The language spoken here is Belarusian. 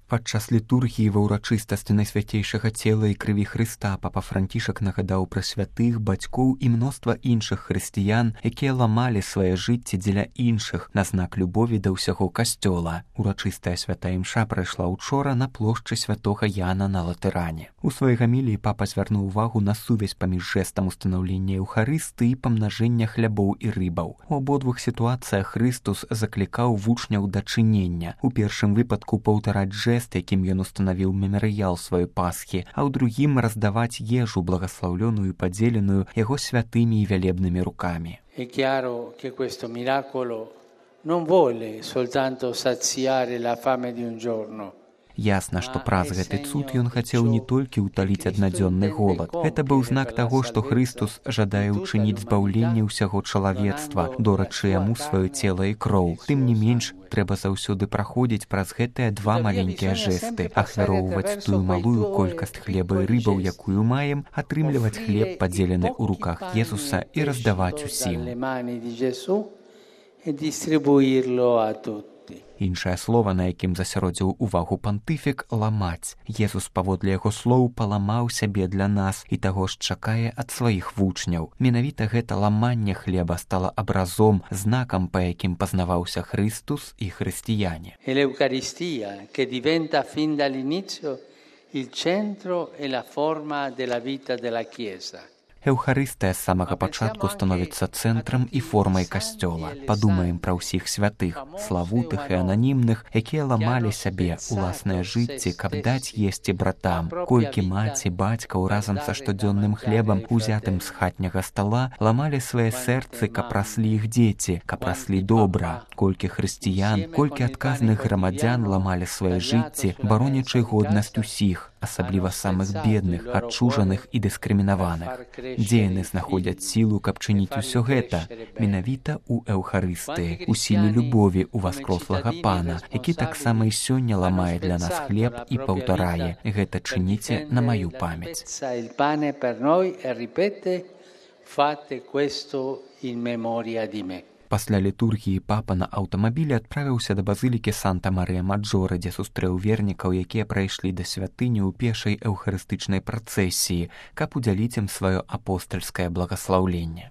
Падчас літургіі ва ўрачыстасці найсвяцейшага цела і крыві Хрыста папа Францішак нагадаў пра святых, бацькоў і мноства іншых хрысціян, якія ламалі свае жыцці дзеля іншых на знак любові да ўсяго касцёла. Урачыстая святая імша прайшла учора на плошчы святога Яна на Латэране. У сваёй гаміліі папа звярнуў увагу на сувязь паміж жэстам устанаўлення Еўхарыстыі і памнажэння хлябоў і рыбаў. У абодвух сітуацыях Хрыстус заклікаў вучняў да чынення. У першым выпадку паўтараць жэст, якім ён устанавіў мемарыял сваёй Пасхі, а ў другім раздаваць ежу, благаслаўлёную і падзеленую яго святымі і вялебнымі рукамі. È chiaro che questo miracolo non vuole soltanto saziare la fame di un giorno. Ясна, што праз гэты цуд ён хацеў не толькі ўталіць аднадзённы голад. Гэта быў знак таго, што Хрыстус жадае ўчыніць збаўленне ўсяго чалавецтва, дорачы яму сваё цела і кроў. Тым не менш, трэба заўсёды праходзіць праз гэтыя два маленькія жэсты, ахвяроўваць тую малую колькасць хлеба і рыбаў, якую маем, атрымліваць хлеб, падзелены ў руках Езуса, і раздаваць усім. Іншае слова, на якім засяродзіў увагу пантыфік – ламаць. Езус, паводле яго слоў, паламаў сябе для нас і таго ж чакае ад сваіх вучняў. Менавіта гэта ламанне хлеба стала абразом, знакам, па якім пазнаваўся Христус і хрысціяне. L'Eucaristia, che diventa fin dall'inizio il centro e la forma della vita della Chiesa. Еўхарыстыя з самага пачатку становіцца цэнтрам і формай касцёла. Падумаем пра ўсіх святых, славутых і ананімных, якія ламалі сябе уласныя жыцці, каб даць есці братам. Колькі маці, бацькаў разам са штодзённым хлебам, узятым з хатняга стала, ламалі свае сэрцы, каб раслі іх дзеці, каб раслі добра. Колькі хрысціян, колькі адказных грамадзян ламалі свае жыцці, баронячы годнасць усіх, асабліва самых бедных, адчужаных і дыскрымінаваных. Дзе яны знаходзяць сілу, каб чыніць усё гэта? Менавіта ў Еўхарыстыі, у сіле любові ў васкрослага Пана, які таксама і сёння ламае для нас хлеб і паўтарае: гэта чыніце на маю памяць. Пасля літургіі папа на аўтамабілі адправіўся да базылікі Санта-Марыя-Маджоре, дзе сустрэў вернікаў, якія прайшлі да святыні ў пешай эўхарыстычнай працэсіі, каб удзяліць ім сваё апостальскае благаслаўленне.